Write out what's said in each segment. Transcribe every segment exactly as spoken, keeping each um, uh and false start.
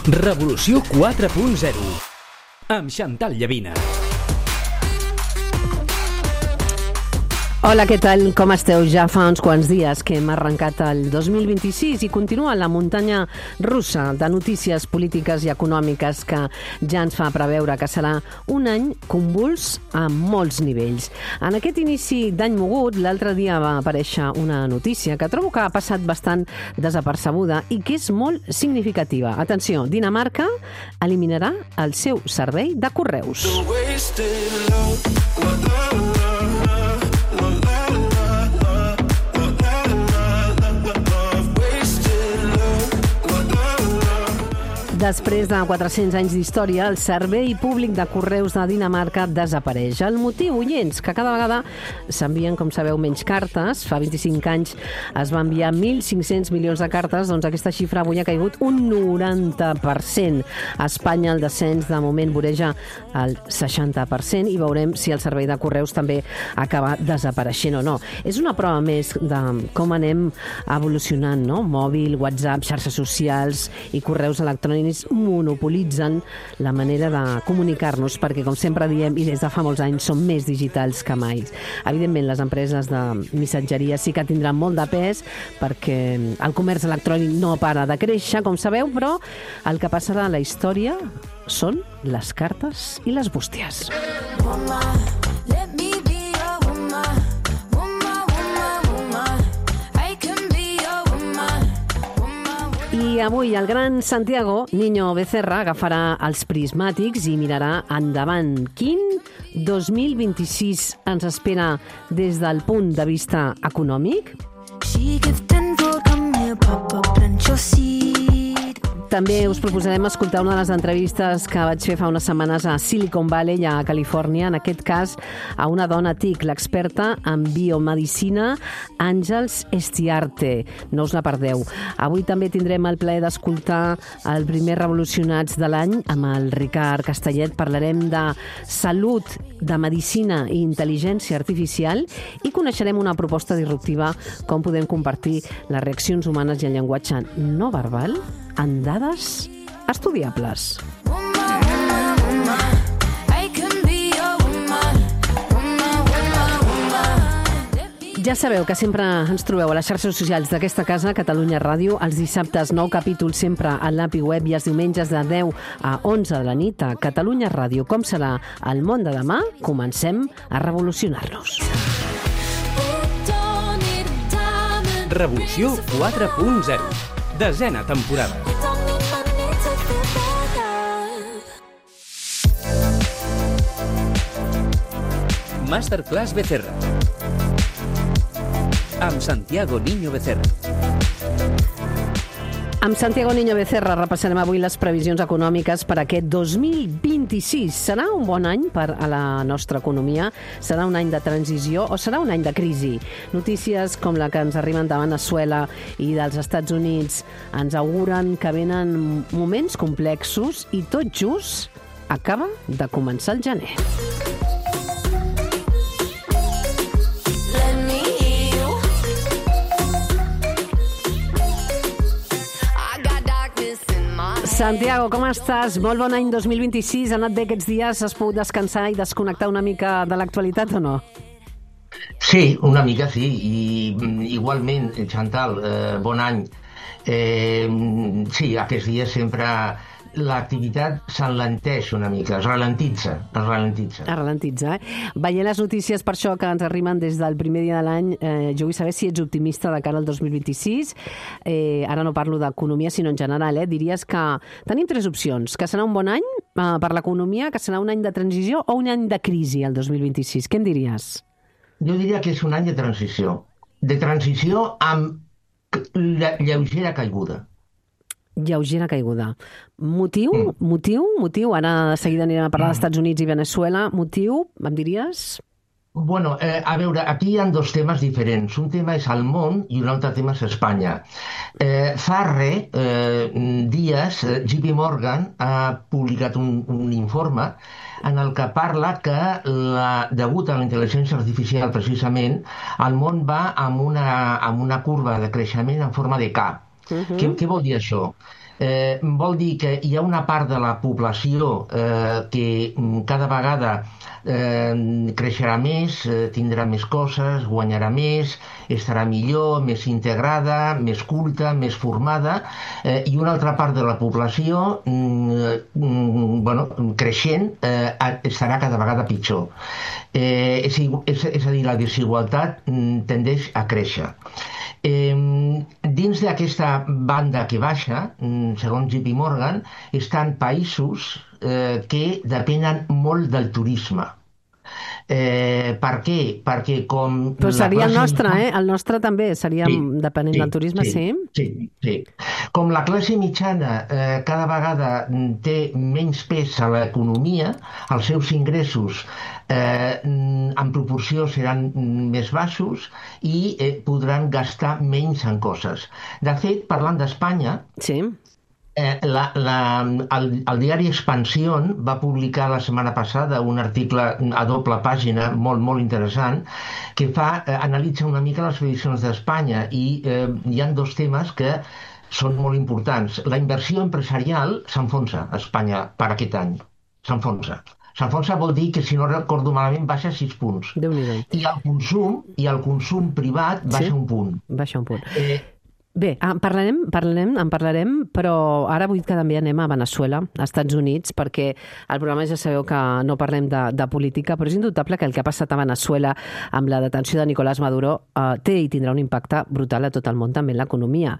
Revolució quatre punt zero amb Chantal Llavina. Hola, què tal? Com esteu? Ja fa uns quants dies que hem arrencat el dos mil vint-i-sis i continua la muntanya russa de notícies polítiques i econòmiques que ja ens fa preveure que serà un any convuls a molts nivells. En aquest inici d'any mogut, l'altre dia va aparèixer una notícia que trobo que ha passat bastant desapercebuda i que és molt significativa. Atenció, Dinamarca eliminarà el seu servei de correus. Després de quatre-cents anys d'història, el servei públic de correus de Dinamarca desapareix. El motiu, oients, que cada vegada s'envien, com sabeu, menys cartes. Fa vint-i-cinc anys es va enviar mil cinc-cents milions de cartes, doncs aquesta xifra avui ha caigut un noranta per cent. A Espanya el descens de moment voreja el seixanta per cent i veurem si el servei de correus també acaba desapareixent o no. És una prova més de com anem evolucionant, no? Mòbil, WhatsApp, xarxes socials i correus electrònics monopolitzen la manera de comunicar-nos perquè, com sempre diem, i des de fa molts anys, són més digitals que mai. Evidentment, les empreses de missatgeria sí que tindran molt de pes perquè el comerç electrònic no para de créixer, com sabeu, però el que passarà a la història són les cartes i les bústies. I avui el gran Santiago Niño Becerra agafarà els prismàtics i mirarà endavant. Quin dos mil vint-i-sis ens espera des del punt de vista econòmic? També us proposarem escoltar una de les entrevistes que vaig fer fa unes setmanes a Silicon Valley, a Califòrnia, en aquest cas a una dona TIC, l'experta en biomedicina Àngels Estiarte. No us la perdeu. Avui també tindrem el plaer d'escoltar el primer Revolucionats de l'any amb el Ricard Castellet. Parlarem de salut, de medicina i intel·ligència artificial i coneixerem una proposta disruptiva, com podem compartir les reaccions humanes i el llenguatge no verbal en dades estudiables. Ja sabeu que sempre ens trobeu a les xarxes socials d'aquesta casa, Catalunya Ràdio, els dissabtes nou capítols sempre a l'A P I Web i els diumenges de deu a onze de la nit a Catalunya Ràdio. Com serà el món de demà? Comencem a revolucionar-nos. Revolució quatre punt zero. Desena temporada. Masterclass Becerra amb Santiago Niño Becerra. Amb Santiago Niño Becerra repassarem avui les previsions econòmiques per aquest dos mil vint-i-sis. Serà un bon any per a la nostra economia? Serà un any de transició o serà un any de crisi? Notícies com la que ens arriben de Veneçuela i dels Estats Units ens auguren que venen moments complexos i tot just acaba de començar el gener. Santiago, com estàs? Molt bon any dos mil vint-i-sis. Ha anat bé aquests dies? Has pogut descansar i desconnectar una mica de l'actualitat o no? Sí, una mica sí. I igualment, Chantal, eh, bon any. Eh, sí, aquests dies sempre l'activitat s'enlenteix una mica, es ralentitza, es ralentitza. Es ralentitza, eh? Veient les notícies per això que ens arriben des del primer dia de l'any, eh, jo vull saber si ets optimista de cara al dos mil vint-i-sis. Eh, ara no parlo d'economia, sinó en general, eh? Diries que tenim tres opcions, que serà un bon any eh, per l'economia, que serà un any de transició o un any de crisi el dos mil vint-i-sis. Què em diries? Jo diria que és un any de transició. De transició amb lleugera caiguda. Lleugera caiguda. Motiu? Mm. Motiu? Motiu? Ara de seguida anirem a parlar mm. dels Estats Units i Veneçuela. Motiu? Em diries? Bueno, eh, a veure, aquí hi ha dos temes diferents. Un tema és el món i un altre tema és Espanya. Eh, fa re, eh, dies, J P Morgan ha publicat un, un informe en el que parla que, la, degut a la intel·ligència artificial, precisament, el món va amb una, amb una curva de creixement en forma de K. Uh-huh. Què, què vol dir això? Eh, vol dir que hi ha una part de la població eh, que cada vegada eh, creixerà més, eh, tindrà més coses, guanyarà més, estarà millor, més integrada, més culta, més formada, eh, i una altra part de la població mm, bueno, creixent eh, estarà cada vegada pitjor. Eh, és, és, és a dir, la desigualtat mm, tendeix a créixer. Eh, dins d'aquesta banda que baixa, segons J P Morgan, estan països eh, que depenen molt del turisme. Eh, per què? Perquè com... Però seria el nostre, eh? El nostre també seria sí, depenent sí, del turisme, sí? Sí, sí, sí. Com la classe mitjana eh, cada vegada té menys pes a l'economia, els seus ingressos eh, en proporció seran més baixos i eh, podran gastar menys en coses. De fet, parlant d'Espanya... Sí. Eh, la, la, el, el diari Expansión va publicar la setmana passada un article a doble pàgina molt, molt interessant que fa, eh, analitza una mica les previsions d'Espanya i eh, hi ha dos temes que són molt importants. La inversió empresarial s'enfonsa a Espanya per aquest any. S'enfonsa. S'enfonsa vol dir que, si no recordo malament, baixa sis punts. Déu-n'hi-do. I el consum, i el consum privat baixa sí? un punt. Baixa un punt. Eh, Bé, en parlarem, parlarem, en parlarem, però ara vull que també anem a Veneçuela, als Estats Units, perquè al programa ja sabeu que no parlem de, de política, però és indubtable que el que ha passat a Veneçuela amb la detenció de Nicolás Maduro eh, té i tindrà un impacte brutal a tot el món, també en l'economia.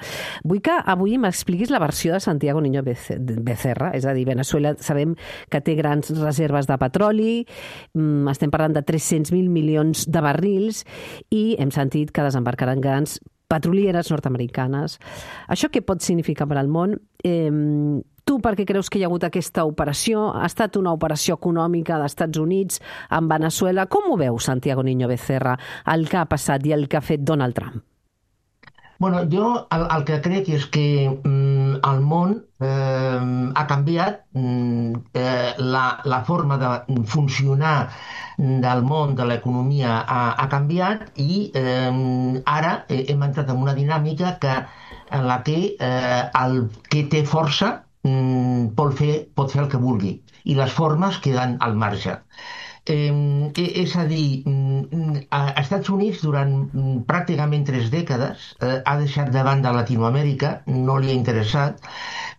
Vull que avui m'expliquis la versió de Santiago Niño Becerra, és a dir, Veneçuela sabem que té grans reserves de petroli, estem parlant de tres-cents mil milions de barrils i hem sentit que desembarcaran grans petrolieres nord-americanes. Això què pot significar per al món? Eh, tu per què creus que hi ha hagut aquesta operació? Ha estat una operació econòmica dels Estats Units amb Veneçuela? Com ho veu, Santiago Niño Becerra, el que ha passat i el que ha fet Donald Trump? Bueno, jo el, el que crec és que mm, el món eh, ha canviat, mm, eh, la, la forma de funcionar del món, de l'economia ha, ha canviat i eh, ara hem entrat en una dinàmica que, en la que eh, el que té força mm, pot, fer, pot fer el que vulgui i les formes queden al marge. Eh, és a dir, als Estats Units durant pràcticament tres dècades eh, ha deixat de banda Latinoamèrica, no li ha interessat,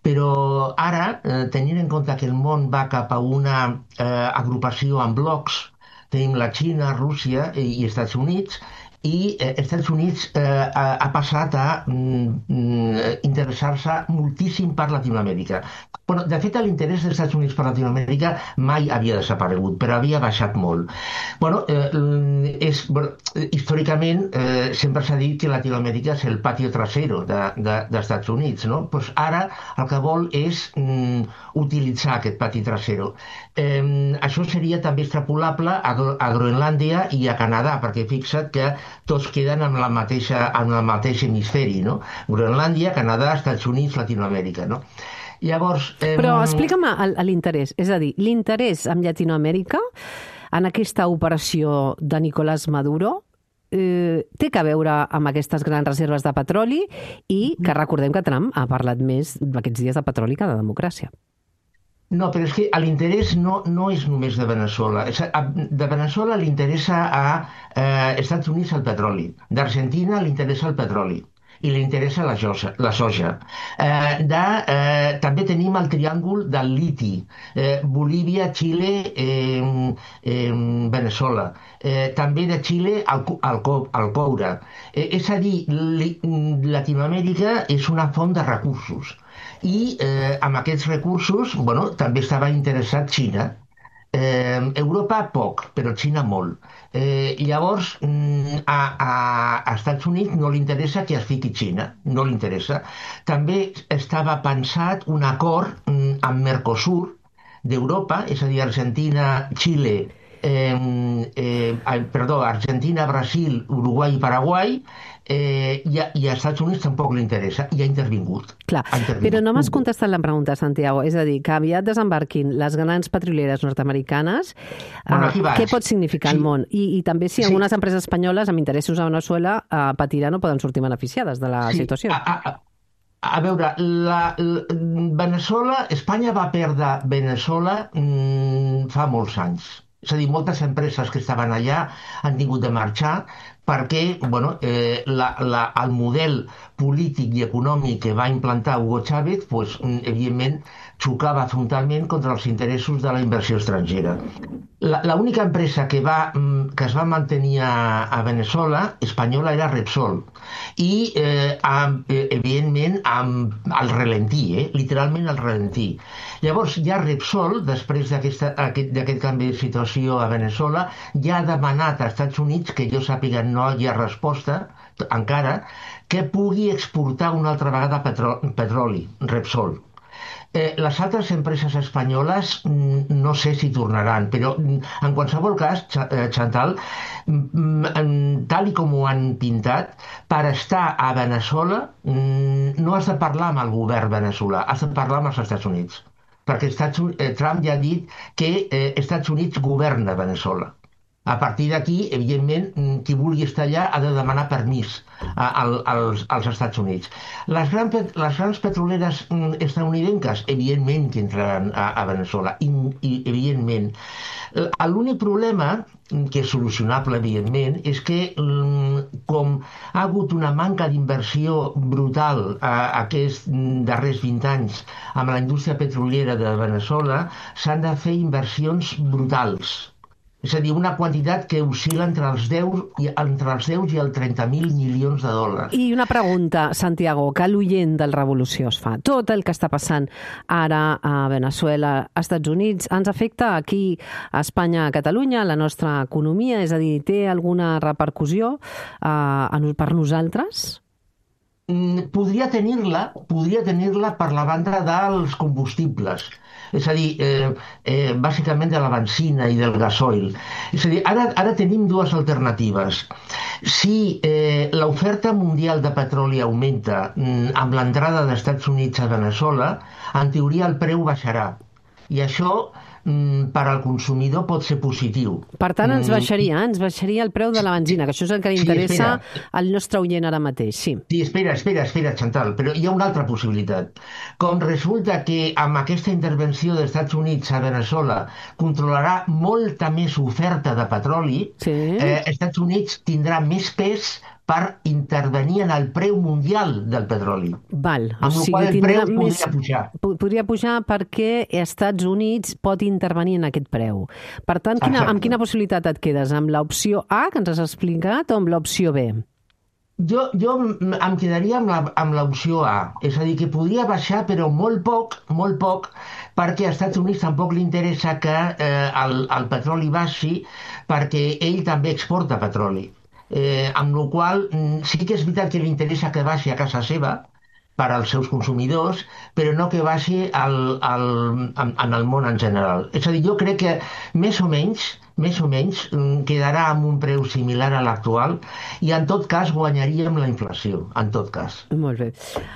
però ara, eh, tenint en compte que el món va cap a una eh, agrupació en blocs, tenim la Xina, Rússia i, i Estats Units, i eh, Estats Units eh, ha, ha passat a mm, interessar-se moltíssim per Latinoamèrica. Bueno, de fet, l'interès dels Estats Units per Latinoamèrica mai havia desaparegut, però havia baixat molt. Bueno, eh, és, bueno històricament eh, sempre s'ha dit que Latinoamèrica és el patio trasero de, de, dels Estats Units, no? Pues ara el que vol és mm, utilitzar aquest pati trasero. Eh, això seria també extrapolable a, a Groenlàndia i a Canadà, perquè fixa't que tots queden en, la mateixa, en el mateix hemisferi, no? Groenlàndia, Canadà, Estats Units, Latinoamèrica, no? Llavors... Eh... Però explica'm l'interès, és a dir, l'interès amb Llatinoamèrica en aquesta operació de Nicolás Maduro eh, té que veure amb aquestes grans reserves de petroli i que recordem que Trump ha parlat més aquests dies de petroli que de democràcia. No, però és que l'interès no, no és només de Veneçuela. De Veneçuela li interessa a eh, Estats Units el petroli, d'Argentina li interessa el petroli i li interessa la, josa, la soja. Eh, de, eh, també tenim el triàngul del liti, eh, Bolívia, Xile, eh, eh, Veneçuela. Eh, també de Xile el, el, el coure. Eh, és a dir, li, Latinoamèrica és una font de recursos. I eh, amb aquests recursos, bueno, també estava interessat Xina. Eh, Europa poc, però Xina molt. Eh, llavors, a, a, a Estats Units no li interessa que es fiqui Xina, no li interessa. També estava pensat un acord amb Mercosur d'Europa, és a dir, Argentina, Xile, eh, eh, perdó, Argentina, Brasil, Uruguai i Paraguai, Eh, i, a, i als Estats Units tampoc li interessa i ha intervingut. Clar, ha intervingut. Però no m'has contestat la pregunta, Santiago. És a dir, que aviat desembarquin les grans petrolieres nord-americanes, bueno, eh, què pot significar sí. al món? I, I també si algunes sí. empreses espanyoles amb interessos a Veneçuela eh, patiran o poden sortir beneficiades de la sí. situació. A, a, A veure, la, la, Veneçuela, Espanya va perdre Veneçuela mm, fa molts anys. És a dir, moltes empreses que estaven allà han tingut de marxar perquè bueno, eh, la, la, el model polític i econòmic que va implantar Hugo Chávez, pues, evidentment, xocava frontalment contra els interessos de la inversió estrangera. L'única empresa que, va, que es va mantenir a, a Veneçuela, espanyola, era Repsol. I, eh, amb, evidentment, amb el ralentí, eh? literalment el ralentí. Llavors, ja Repsol, després d'aquest canvi de situació a Veneçuela, ja ha demanat als Estats Units, que jo sàpiga no hi ha resposta encara, que pugui exportar una altra vegada petroli, Repsol. Eh, les altres empreses espanyoles no sé si tornaran, però en qualsevol cas, Chantal, tal i com ho han pintat, per estar a Veneçuela no has de parlar amb el govern veneçolà, has de parlar amb els Estats Units, perquè Estats, eh, Trump ja ha dit que eh, Estats Units governa Veneçuela. A partir d'aquí, evidentment, qui vulgui estar allà ha de demanar permís a, a, als, als Estats Units. Les, gran, les grans petroleres estadounidenques, evidentment que entraran a, a Veneçuela, i, i evidentment. L'únic problema, que és solucionable, evidentment, és que com ha hagut una manca d'inversió brutal a, a aquests darrers vint anys amb la indústria petroliera de Veneçuela, s'han de fer inversions brutals. És a dir, una quantitat que oscil·la entre els deu, entre els deu i els trenta mil milions de dòlars. I una pregunta, Santiago, que l'oient del Revolució es fa. Tot el que està passant ara a Veneçuela, als Estats Units, ens afecta aquí a Espanya, a Catalunya, a la nostra economia? És a dir, té alguna repercussió eh, per nosaltres? Podria tenir-la, podria tenir-la per la banda dels combustibles. És a dir, eh, eh, bàsicament de la benzina i del gasoil. És a dir, ara, ara tenim dues alternatives. Si eh, l'oferta mundial de petroli augmenta mm, amb l'entrada dels Estats Units a Veneçuela, en teoria el preu baixarà. I això mm, per al consumidor pot ser positiu. Per tant, ens baixaria, ens baixaria el preu de la benzina, que això és el que li interessa sí, al nostre oient ara mateix. Sí. sí, espera, espera, espera, Chantal, però hi ha una altra possibilitat. Com resulta que amb aquesta intervenció dels Estats Units a Veneçuela controlarà molta més oferta de petroli, sí. eh, Estats Units tindrà més pes per intervenir en el preu mundial del petroli. Val. Amb o el sigui, qual el preu més... podria pujar. Podria pujar perquè els Estats Units pot intervenir en aquest preu. Per tant, quina, amb quina possibilitat et quedes? Amb l'opció A, que ens has explicat, o amb l'opció B? Jo, jo em quedaria amb l'opció A. És a dir, que podria baixar, però molt poc, molt poc, perquè als Estats Units tampoc li interessa que eh, el, el petroli baixi, perquè ell també exporta petroli. Eh, amb la qual sí que és veritat que li interessa que baixi a casa seva per als seus consumidors, però no que baixi al, al, en, en el món en general. És a dir, jo crec que més o menys, més o menys quedarà amb un preu similar a l'actual i en tot cas guanyaríem la inflació, en tot cas. Molt bé.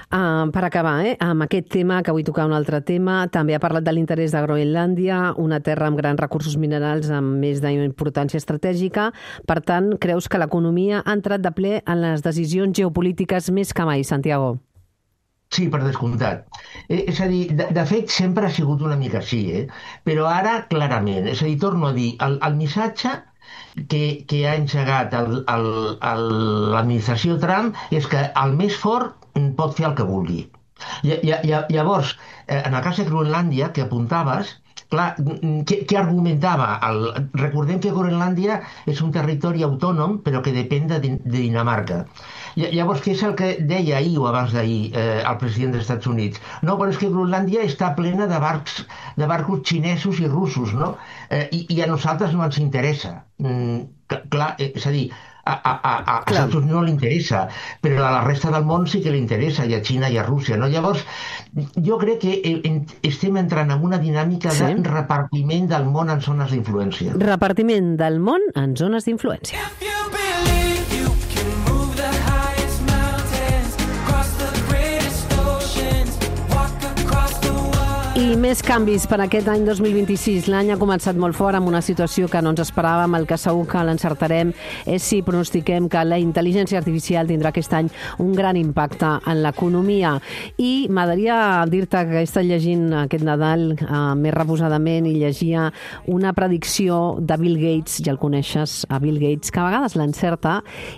Uh, per acabar, eh, amb aquest tema, que vull tocar un altre tema, també ha parlat de l'interès de Groenlàndia, una terra amb grans recursos minerals amb més d'importància estratègica. Per tant, creus que l'economia ha entrat de ple en les decisions geopolítiques més que mai, Santiago? Sí, per descomptat. Eh, és a dir, de, de fet, sempre ha sigut una mica així, eh? Però ara, clarament. És a dir, torno a dir, el, el missatge que, que ha engegat l'administració Trump és que el més fort pot fer el que vulgui. I, i, llavors, en el cas de Groenlàndia, que apuntaves, clar, què, què argumentava? El, recordem que Groenlàndia és un territori autònom, però que depèn de, de Dinamarca. Llavors, què és el que deia ahir o abans d'ahir eh, el president dels Estats Units? No, però és que Groenlàndia està plena de barcs, de barcos xinesos i russos, no? Eh, i, I a nosaltres no ens interessa. Mm, clar, eh, és a dir, a, a, a, a Estats Units no li interessa, però a la resta del món sí que li interessa, i a Xina i a Rússia, no? Llavors, jo crec que estem entrant en una dinàmica sí. de repartiment del món en zones d'influència. Repartiment del món en zones d'influència. I I més canvis per aquest any dos mil vint-i-sis. L'any ha començat molt fort amb una situació que no ens esperàvem. El que segur que l'encertarem és si pronostiquem que la intel·ligència artificial tindrà aquest any un gran impacte en l'economia. I m'agradaria dir-te que he estat llegint aquest Nadal eh, més reposadament i llegia una predicció de Bill Gates, ja el coneixes, a Bill Gates, que a vegades l'encerta,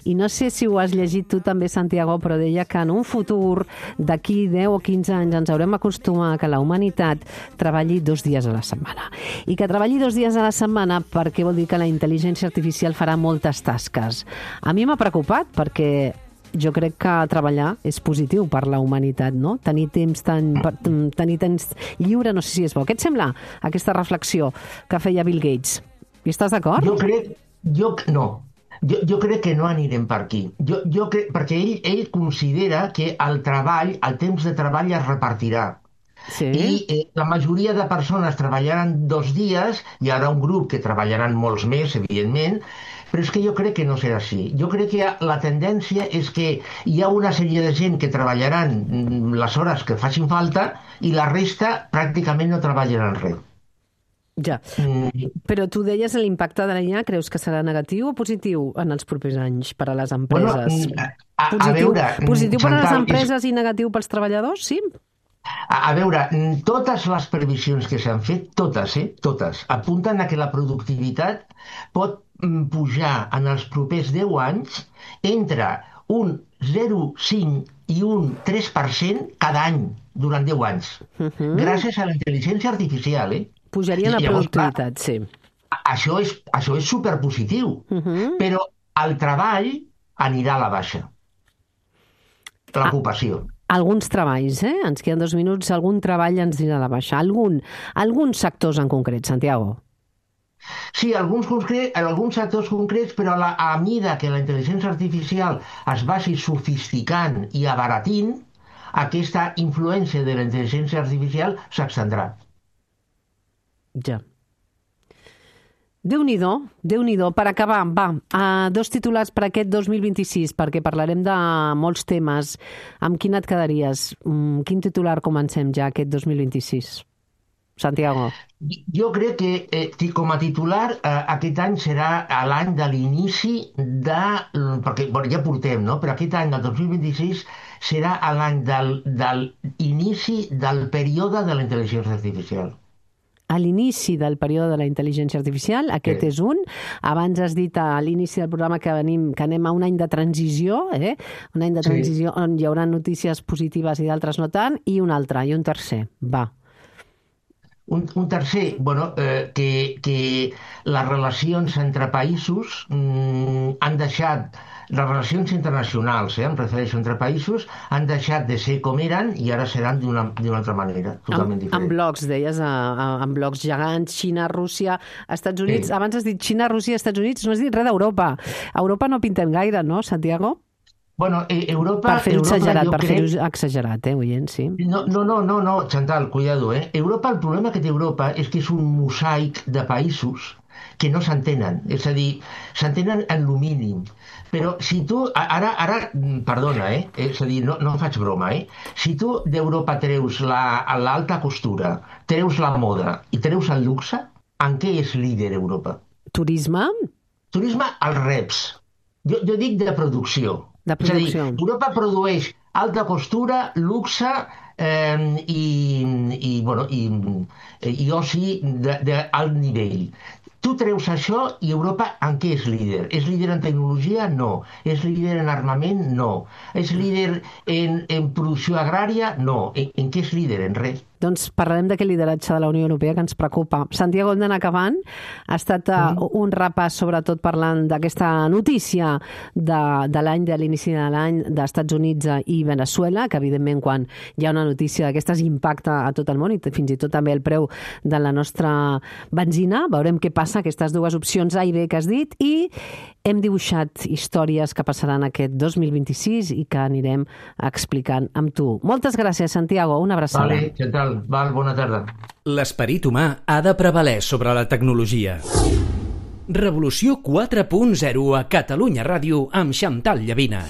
i no sé si ho has llegit tu també, Santiago, però deia que en un futur d'aquí deu o quinze anys ens haurem acostumat a que la humanitat treballi dos dies a la setmana. I que treballi dos dies a la setmana perquè vol dir que la intel·ligència artificial farà moltes tasques. A mi m'ha preocupat perquè jo crec que treballar és positiu per la humanitat, no? Tenir temps, tan, tenir temps lliure, no sé si és bo. Què et sembla aquesta reflexió que feia Bill Gates? Hi estàs d'acord? Jo crec... Jo, no. Jo, jo crec que no anirem per aquí. Jo, jo crec, perquè ell, ell considera que el treball, el temps de treball es repartirà. Sí. I eh, la majoria de persones treballaran dos dies, hi haurà un grup que treballaran molts més, evidentment, però és que jo crec que no serà així. Jo crec que la tendència és que hi ha una sèrie de gent que treballaran les hores que facin falta i la resta pràcticament no treballaran res. Ja, mm. Però tu deies l'impacte de la I A, creus que serà negatiu o positiu en els propers anys per a les empreses? Bueno, a, a, positiu, a veure... Positiu per a les Chantal, empreses és... i negatiu pels treballadors, sí? A, a veure, totes les previsions que s'han fet, totes, eh, totes, apunten a que la productivitat pot pujar en els propers deu anys entre un zero coma cinc i un tres per cent cada any durant deu anys, uh-huh. gràcies a la intel·ligència artificial. Eh? Pujaria la productivitat, sí. Això és, això és superpositiu, uh-huh. però el treball anirà a la baixa. L'ocupació. Ah. Alguns treballs, eh? Ens queden dos minuts, algun treball ens dirà a la baixa. Algun, alguns sectors en concret, Santiago. Sí, alguns, concret, alguns sectors concrets, però a, la, a mida que la intel·ligència artificial es vagi sofisticant i abaratint, aquesta influència de la intel·ligència artificial s'extendrà. Ja. Déu-n'hi-do, Déu-n'hi-do. Per acabar, va, uh, dos titulars per aquest dos mil vint-i-sis, perquè parlarem de molts temes. Amb quin et quedaries? Um, quin titular comencem ja aquest dos mil vint-i-sis? Santiago. Jo crec que eh, com a titular eh, aquest any serà l'any de l'inici de... perquè bueno, ja portem, no? Però aquest any, el dos mil vint-i-sis, serà l'any del, del inici del període de la intel·ligència artificial. A l'inici del període de la intel·ligència artificial, aquest sí. és un. Abans has dit a l'inici del programa que, venim, que anem a un any de transició, eh? un any de transició sí. on hi haurà notícies positives i d'altres no tant, i un altre, i un tercer. Va. Un, un tercer, bueno, eh, que, que les relacions entre països mm, han deixat... Les relacions internacionals, eh, em refereixo entre països, han deixat de ser com eren i ara seran d'una altra manera, totalment diferent. En blocs, deies, en blocs gegants, Xina, Rússia, Estats Units. Sí. Abans has dit Xina, Rússia, Estats Units, no has dit res d'Europa. A Europa no pintem gaire, no, Santiago? Bueno, eh, Europa... Per fer-ho exagerat, per crec... fer-ho exagerat, eh, oient, sí. No, no, no, no, no, Chantal, cuidado, eh. Europa, el problema que té Europa és que és un mosaic de països que no s'entenen, és a dir, s'entenen en lo mínim. Però si tu, ara, ara perdona, eh? és a dir, no, no faig broma, eh? Si tu d'Europa treus l'alta la, costura, treus la moda i treus el luxe, en què és líder Europa? Turisme? Turisme als reps. Jo, jo dic de producció. De producció. És a dir, Europa produeix alta costura, luxe eh, i, i, bueno, i, i oci d'alt nivell. Tu treus això i Europa en què és líder? És líder en tecnologia? No. És líder en armament? No. És líder en, en producció agrària? No. En, en què és líder? En res. Doncs parlarem d'aquest lideratge de la Unió Europea que ens preocupa. Santiago, hem d'anar acabant. Ha estat uh, mm. un repàs, sobretot parlant d'aquesta notícia de, de l'any, de l'inici de l'any d'Estats Units i Venezuela, que evidentment quan hi ha una notícia d'aquestes impacta a tot el món i fins i tot també el preu de la nostra benzina. Veurem què passa, aquestes dues opcions A i B que has dit, i hem dibuixat històries que passaran aquest dos mil vint-i-sis i que anirem explicant amb tu. Moltes gràcies, Santiago. Una abraçada. Vale, què tal? Val, bona tarda. L'esperit humà ha de prevaler sobre la tecnologia. Revolució quatre punt zero a Catalunya Ràdio amb Chantal Llavina.